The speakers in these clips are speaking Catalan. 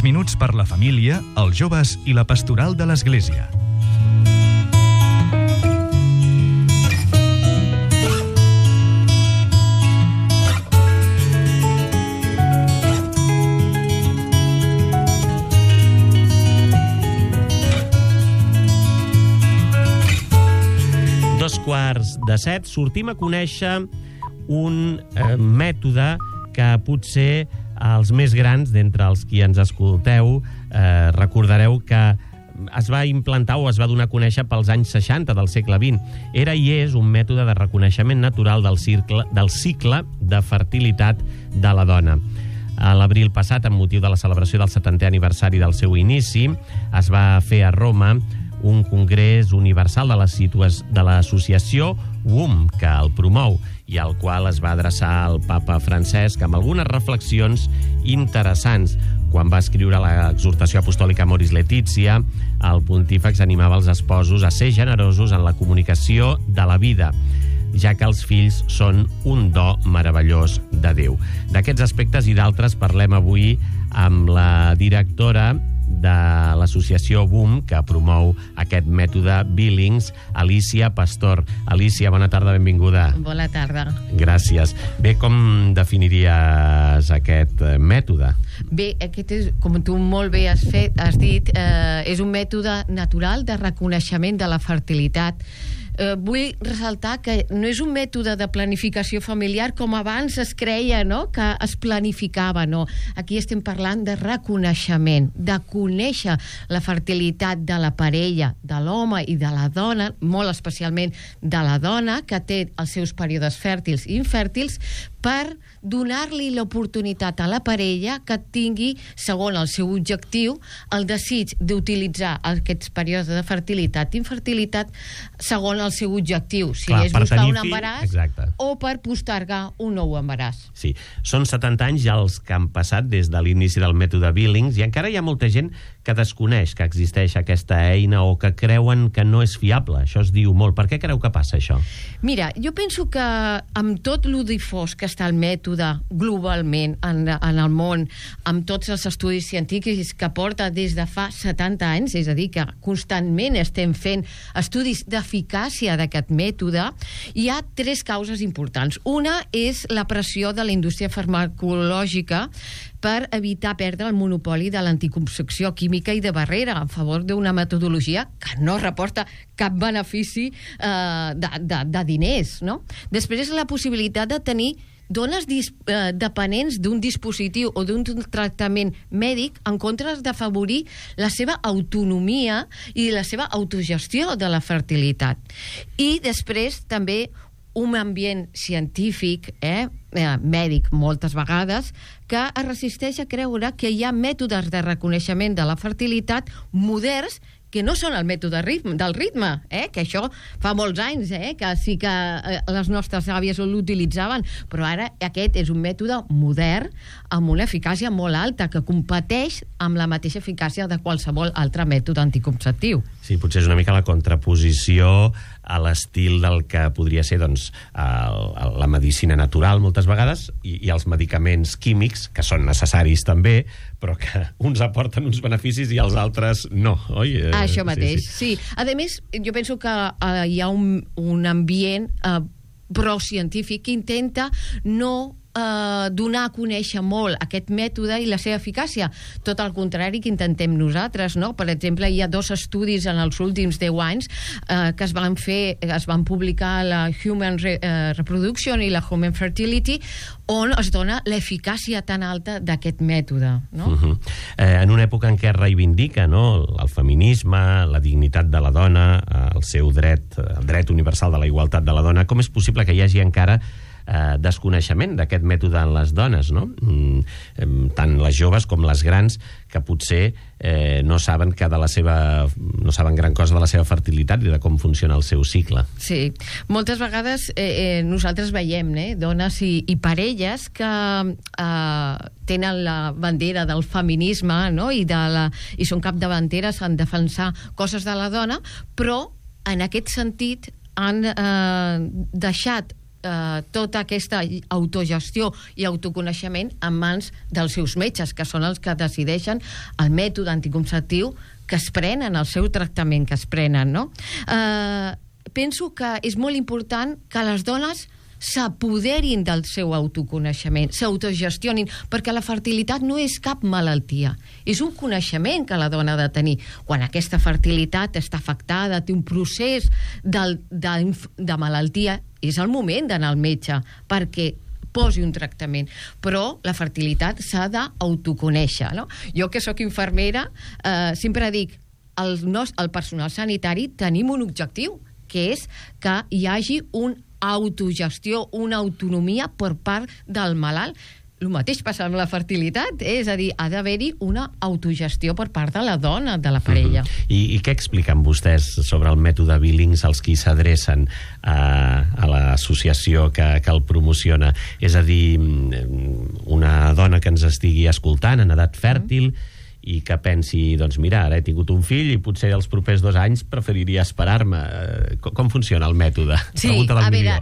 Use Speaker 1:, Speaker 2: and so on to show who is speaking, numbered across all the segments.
Speaker 1: minuts per la família, els joves i la pastoral de l'Església.
Speaker 2: Dos quarts de 7, sortim a conèixer un mètode que potser els més grans d'entre els qui ens escolteu recordareu que es va implantar o es va donar a conèixer pels anys 60 del segle XX. Era i és un mètode de reconeixement natural del cicle de fertilitat de la dona. A l'abril passat, amb motiu de la celebració del 70è aniversari del seu inici, es va fer a Roma un congrés universal de l'associació WOM, que el promou, i al qual es va adreçar al papa Francesc amb algunes reflexions interessants. Quan va escriure l'exhortació apostòlica Amoris Laetitia, el pontífex animava els esposos a ser generosos en la comunicació de la vida, ja que els fills són un do meravellós de Déu. D'aquests aspectes i d'altres parlem avui amb la directora de l'associació WOM, que promou aquest mètode Billings, Alicia Pastor. Alicia, bona tarda, benvinguda.
Speaker 3: Bona tarda.
Speaker 2: Gràcies. Bé, com definiries aquest mètode?
Speaker 3: Bé, aquest és, com tu molt bé has dit, és un mètode natural de reconeixement de la fertilitat. Vull ressaltar que no és un mètode de planificació familiar com abans es creia, no?, que es planificava, no. Aquí estem parlant de reconeixement, de conèixer la fertilitat de la parella, de l'home i de la dona, molt especialment de la dona, que té els seus períodes fèrtils i infèrtils, per donar-li l'oportunitat a la parella que tingui, segons el seu objectiu, el desig d'utilitzar aquests períodes de fertilitat i infertilitat segons el seu objectiu, si és buscar un embaràs o per postergar un nou embaràs.
Speaker 2: Sí, són 70 anys ja els que han passat des de l'inici del mètode Billings i encara hi ha molta gent que desconeix que existeix aquesta eina o que creuen que no és fiable. Això es diu molt. Per què creu que passa això?
Speaker 3: Mira, jo penso que amb tot lo difós que està el mètode globalment en el món, amb tots els estudis científics que porta des de fa 70 anys, és a dir, que constantment estem fent estudis d'eficàcia d'aquest mètode, hi ha 3 causes importants. Una és la pressió de la indústria farmacològica per evitar perdre el monopoli de l'anticoncepció química i de barrera en favor d'una metodologia que no reporta cap benefici de diners, no? Després és la possibilitat de tenir dones dependents d'un dispositiu o d'un tractament mèdic en comptes d'afavorir la seva autonomia i la seva autogestió de la fertilitat. I després també un ambient científic, mèdic moltes vegades, que es resisteix a creure que hi ha mètodes de reconeixement de la fertilitat moderns que no són el mètode del ritme, que això fa molts anys, que sí que les nostres àvies l'utilitzaven, però ara aquest és un mètode modern amb una eficàcia molt alta que competeix amb la mateixa eficàcia de qualsevol altre mètode anticonceptiu.
Speaker 2: Sí, potser és una mica la contraposició a l'estil del que podria ser doncs, la medicina natural moltes vegades i els medicaments químics, que són necessaris també, però que uns aporten uns beneficis i els altres no, oi?
Speaker 3: Això mateix, sí. A més, jo penso que hi ha un ambient procientífic que intenta no donar a conèixer molt aquest mètode i la seva eficàcia. Tot el contrari que intentem nosaltres, no? Per exemple, hi ha 2 estudis en els últims 10 anys que es van publicar a la Human Reproduction i la Human Fertility, on es dona l'eficàcia tan alta d'aquest mètode, no?
Speaker 2: En una època en què es reivindica, no?, el feminisme, la dignitat de la dona, el seu dret, el dret universal de la igualtat de la dona, com és possible que hi hagi encara desconeixement d'aquest mètode en les dones, no? Tant les joves com les grans, que potser no saben no saben gran cosa de la seva fertilitat i de com funciona el seu cicle.
Speaker 3: Sí, moltes vegades nosaltres veiem dones i parelles que tenen la bandera del feminisme, no?, i són capdavanteres en defensar coses de la dona, però en aquest sentit han deixat tota aquesta autogestió i autoconeixement en mans dels seus metges, que són els que decideixen el mètode anticonceptiu que es prenen, el seu tractament que es prenen, no? Penso que és molt important que les dones s'apoderin del seu autoconeixement, s'autogestionin, perquè la fertilitat no és cap malaltia, és un coneixement que la dona ha de tenir. Quan aquesta fertilitat està afectada, té un procés de malaltia, és el moment d'anar al metge perquè posi un tractament, però la fertilitat s'ha d'autoconèixer, no? Jo, que sóc infermera, sempre dic, el personal sanitari tenim un objectiu, que és que hi hagi una autogestió, una autonomia per part del malalt. El mateix passa amb la fertilitat, és a dir, ha d'haver-hi una autogestió per part de la dona, de la parella.
Speaker 2: I què expliquen vostès sobre el mètode Billings als qui s'adrecen a l'associació que el promociona? És a dir, una dona que ens estigui escoltant en edat fèrtil i que pensi, doncs mira, ara he tingut un fill i potser els propers 2 anys preferiria esperar-me. Com funciona el mètode?
Speaker 3: Sí, a veure,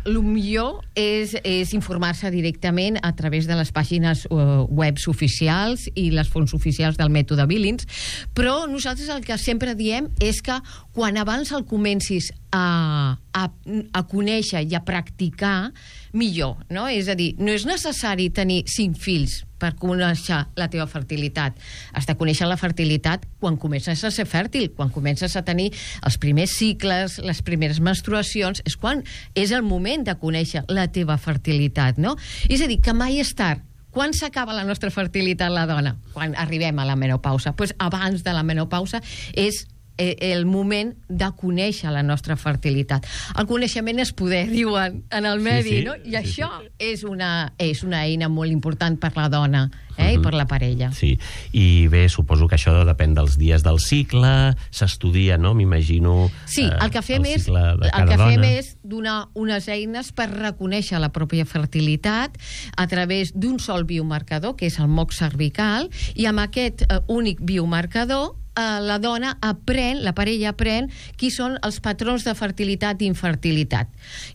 Speaker 3: el millor és informar-se directament a través de les pàgines webs oficials i les fonts oficials del mètode Billings, però nosaltres el que sempre diem és que quan abans el comencis a conèixer i a practicar, millor, no? És a dir, no és necessari tenir 5 fills per conèixer la teva fertilitat. Has de conèixer la fertilitat quan comences a ser fèrtil, quan comences a tenir els primers cicles, les primeres menstruacions, és quan és el moment de conèixer la teva fertilitat, no? És a dir, que mai és tard. Quan s'acaba la nostra fertilitat, la dona? Quan arribem a la menopausa. Doncs abans de la menopausa és el moment de conèixer la nostra fertilitat. El coneixement és poder, diuen en el medi, no? I això és una eina molt important per la dona i per la parella.
Speaker 2: Sí, i bé, suposo que això depèn dels dies del cicle, s'estudia, no? M'imagino.
Speaker 3: Sí, el que fem és donar unes eines per reconèixer la pròpia fertilitat a través d'un sol biomarcador, que és el moc cervical, i amb aquest únic biomarcador la dona aprèn, la parella aprèn qui són els patrons de fertilitat i infertilitat.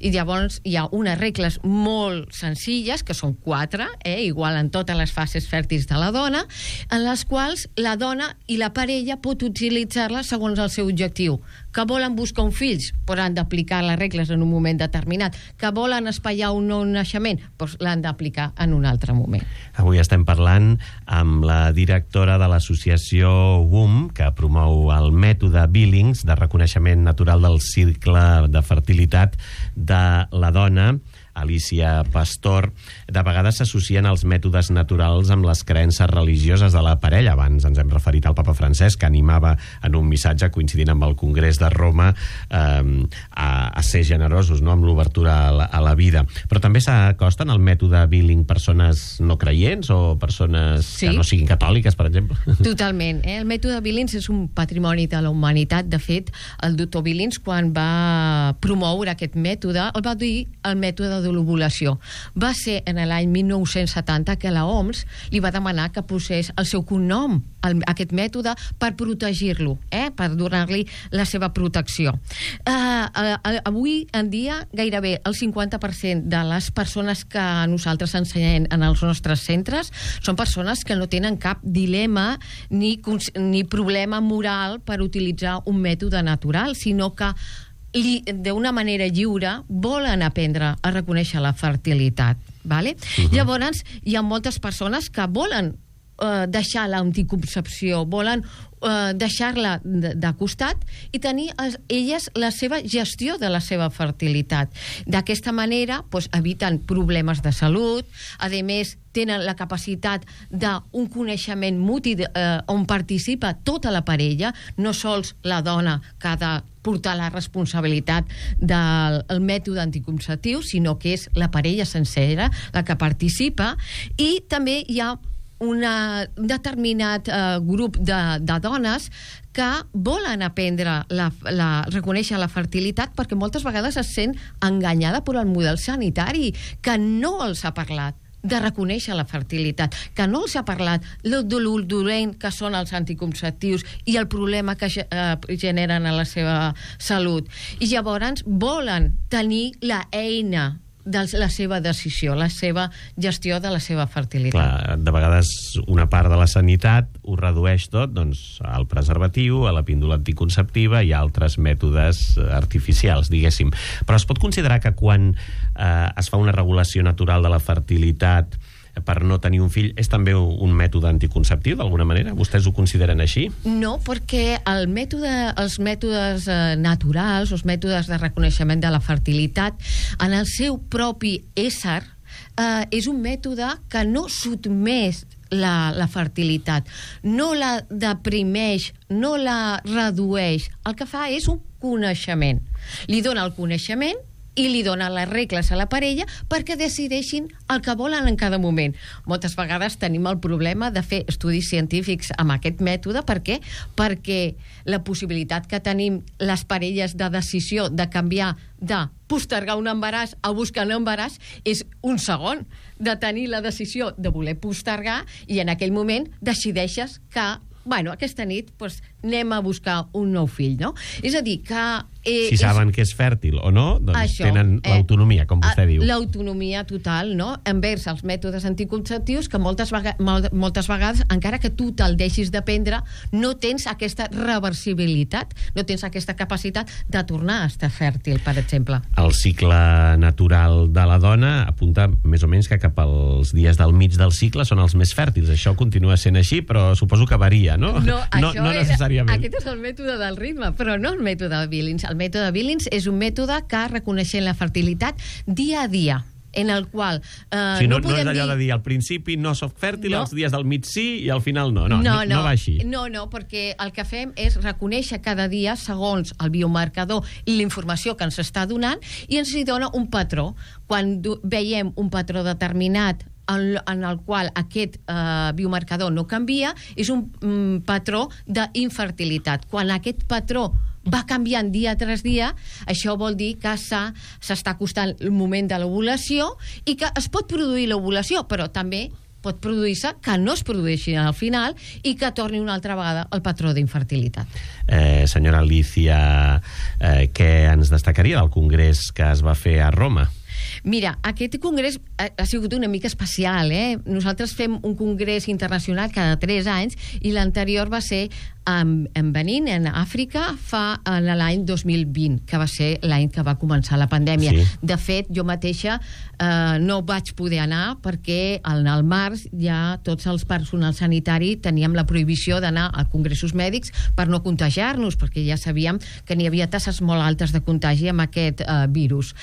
Speaker 3: I llavors hi ha unes regles molt senzilles, que són 4, igual en totes les fases fèrtils de la dona, en les quals la dona i la parella pot utilitzar-la segons el seu objectiu. Que volen buscar un fill, però han d'aplicar les regles en un moment determinat. Que volen espaiar un nou naixement, doncs l'han d'aplicar en un altre moment.
Speaker 2: Avui estem parlant amb la directora de l'associació WOM, que promou el mètode Billings de reconeixement natural del cicle de fertilitat de la dona, Alicia Pastor. De vegades s'associen els mètodes naturals amb les creences religioses de la parella. Abans ens hem referit al papa Francesc, que animava en un missatge coincidint amb el Congrés de Roma a ser generosos, no?, amb l'obertura a la vida. Però també s'acosten al mètode Billing persones no creients o persones que no siguin catòliques, per exemple?
Speaker 3: Totalment. El mètode Billings és un patrimoni de la humanitat. De fet, el doctor Billings, quan va promoure aquest mètode, el va dir el mètode de l'ovulació. Va ser en l'any 1970 que la OMS li va demanar que posés el seu cognom a aquest mètode per protegir-lo, per donar-li la seva protecció. Avui en dia gairebé el 50% de les persones que nosaltres ensenyem en els nostres centres són persones que no tenen cap dilema ni problema moral per utilitzar un mètode natural, sinó que d'una manera lliure volen aprendre a reconèixer la fertilitat, vale? Llavors hi ha moltes persones que volen deixar l'anticoncepció, volen deixar-la de costat i tenir elles la seva gestió de la seva fertilitat. D'aquesta manera eviten problemes de salut, a més tenen la capacitat d'un coneixement mutu on participa tota la parella, no sols la dona que ha de portar la responsabilitat del mètode anticonceptiu, sinó que és la parella sencera la que participa, i també hi ha un determinat grup de dones que volen aprendre a reconèixer la fertilitat perquè moltes vegades es sent enganyada per el model sanitari, que no els ha parlat de reconèixer la fertilitat, que no els ha parlat de dolent que són els anticonceptius i el problema que generen a la seva salut. I llavors volen tenir la eina de la seva decisió, la seva gestió de la seva fertilitat.
Speaker 2: Clar, de vegades una part de la sanitat ho redueix tot doncs, al preservatiu, a la píndola anticonceptiva i a altres mètodes artificials, diguéssim. Però es pot considerar que quan es fa una regulació natural de la fertilitat per no tenir un fill, és també un mètode anticonceptiu, d'alguna manera? Vostès ho consideren així?
Speaker 3: No, perquè els mètodes naturals, els mètodes de reconeixement de la fertilitat, en el seu propi ésser, és un mètode que no sotmès la fertilitat, no la deprimeix, no la redueix. El que fa és un coneixement. Li dona el coneixement i li dona les regles a la parella perquè decideixin el que volen en cada moment. Moltes vegades tenim el problema de fer estudis científics amb aquest mètode. Per què? Perquè la possibilitat que tenim les parelles de decisió de canviar de postergar un embaràs a buscar un embaràs és un segon, de tenir la decisió de voler postergar i en aquell moment decideixes que aquesta nit anem a buscar un nou fill, no? És a dir, que...
Speaker 2: si saben que és fèrtil o no, doncs tenen l'autonomia, com vostè diu.
Speaker 3: L'autonomia total, no?, envers els mètodes anticonceptius que moltes vegades, encara que tu te'l deixis de prendre, no tens aquesta reversibilitat, no tens aquesta capacitat de tornar a estar fèrtil, per exemple.
Speaker 2: El cicle natural de la dona apunta més o menys que cap als dies del mig del cicle són els més fèrtils. Això continua sent així, però suposo que varia, no?
Speaker 3: No
Speaker 2: necessàriament.
Speaker 3: Aquest és el mètode del ritme, però no el mètode de Billings. El mètode Billings és un mètode que reconeixent la fertilitat dia a dia, en el qual
Speaker 2: no és allò de dir al principi no soc fèrtil, als dies del mig sí i al final no va així.
Speaker 3: No, perquè el que fem és reconèixer cada dia segons el biomarcador i la informació que ens està donant i ens hi dona un patró. Quan veiem un patró determinat en el qual aquest biomarcador no canvia, és un patró d'infertilitat. Quan aquest patró va canviant dia tras dia, això vol dir que s'està acostant el moment de l'ovulació i que es pot produir l'ovulació, però també pot produir-se que no es produeixi al final i que torni una altra vegada el patró d'infertilitat.
Speaker 2: Senyora Alicia, què ens destacaria del congrés que es va fer a Roma?
Speaker 3: Mira, aquest congrés ha sigut una mica especial, Nosaltres fem un congrés internacional cada 3 anys i l'anterior va ser en Benín, en Àfrica, en l'any 2020, que va ser l'any que va començar la pandèmia. Sí. De fet, jo mateixa no vaig poder anar perquè al març ja tots els personal sanitari teníem la prohibició d'anar a congressos mèdics per no contagiar-nos, perquè ja sabíem que n'hi havia tasses molt altes de contagi amb aquest virus.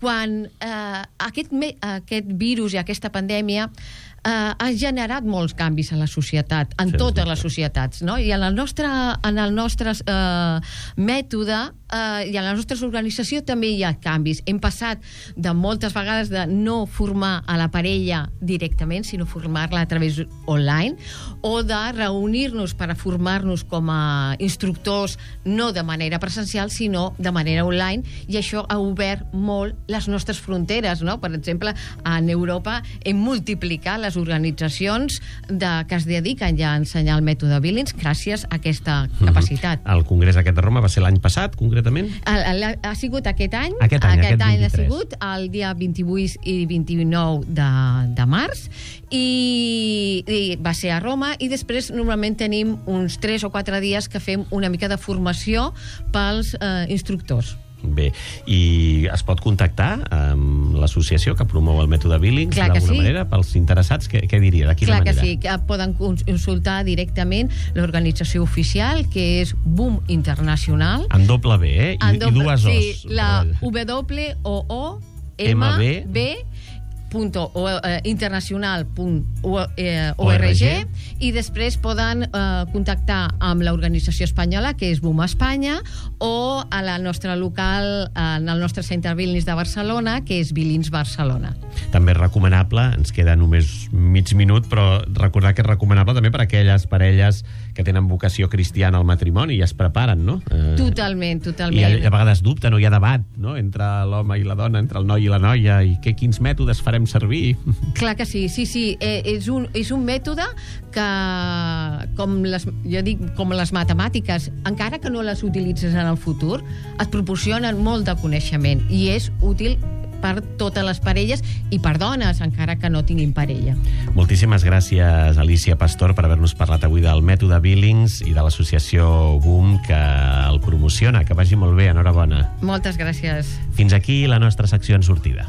Speaker 3: Quan aquest virus i aquesta pandèmia ha generat molts canvis a la societat, en totes les societats, no? I en el nostre mètode i en la nostra organització també hi ha canvis. Hem passat de moltes vegades de no formar a la parella directament, sinó formar-la a través online, o de reunir-nos per a formar-nos com a instructors, no de manera presencial, sinó de manera online, i això ha obert molt les nostres fronteres, no? Per exemple, en Europa hem multiplicat les organitzacions que es dediquen ja a ensenyar el mètode Billings gràcies a aquesta capacitat.
Speaker 2: El congrés aquest de Roma va ser l'any passat, concretament?
Speaker 3: Ha sigut aquest any.
Speaker 2: Aquest any
Speaker 3: ha sigut el dia 28 i 29 de març i va ser a Roma, i després normalment tenim uns 3 o 4 dies que fem una mica de formació pels instructors.
Speaker 2: Bé, i es pot contactar amb l'associació que promou el mètode Billings d'alguna manera? Pels interessats, què diria? De quina manera?
Speaker 3: Clar que sí, que poden consultar directament l'organització oficial, que és Boom Internacional.
Speaker 2: En doble B, I dues O's.
Speaker 3: Sí, la internacional.org, i després poden contactar amb l'organització espanyola, que és Boom Espanya, o a la nostra local, en el nostre centre Billings de Barcelona, que és Billings Barcelona.
Speaker 2: També és recomanable, ens queda només mig minut, però recordar que és recomanable també per a aquelles parelles que tenen vocació cristiana al matrimoni i es preparen, no?
Speaker 3: Totalment.
Speaker 2: I a vegades dubten, o hi ha debat, no?, entre l'home i la dona, entre el noi i la noia, i quins mètodes farem servir.
Speaker 3: Clar que sí. És un mètode que, com les matemàtiques, encara que no les utilitzes en el futur, et proporcionen molt de coneixement i és útil per totes les parelles i per dones, encara que no tinguin parella.
Speaker 2: Moltíssimes gràcies, Alicia Pastor, per haver-nos parlat avui del mètode Billings i de l'associació Boom, que el promociona. Que vagi molt bé, enhorabona.
Speaker 3: Moltes gràcies.
Speaker 2: Fins aquí la nostra secció en sortida.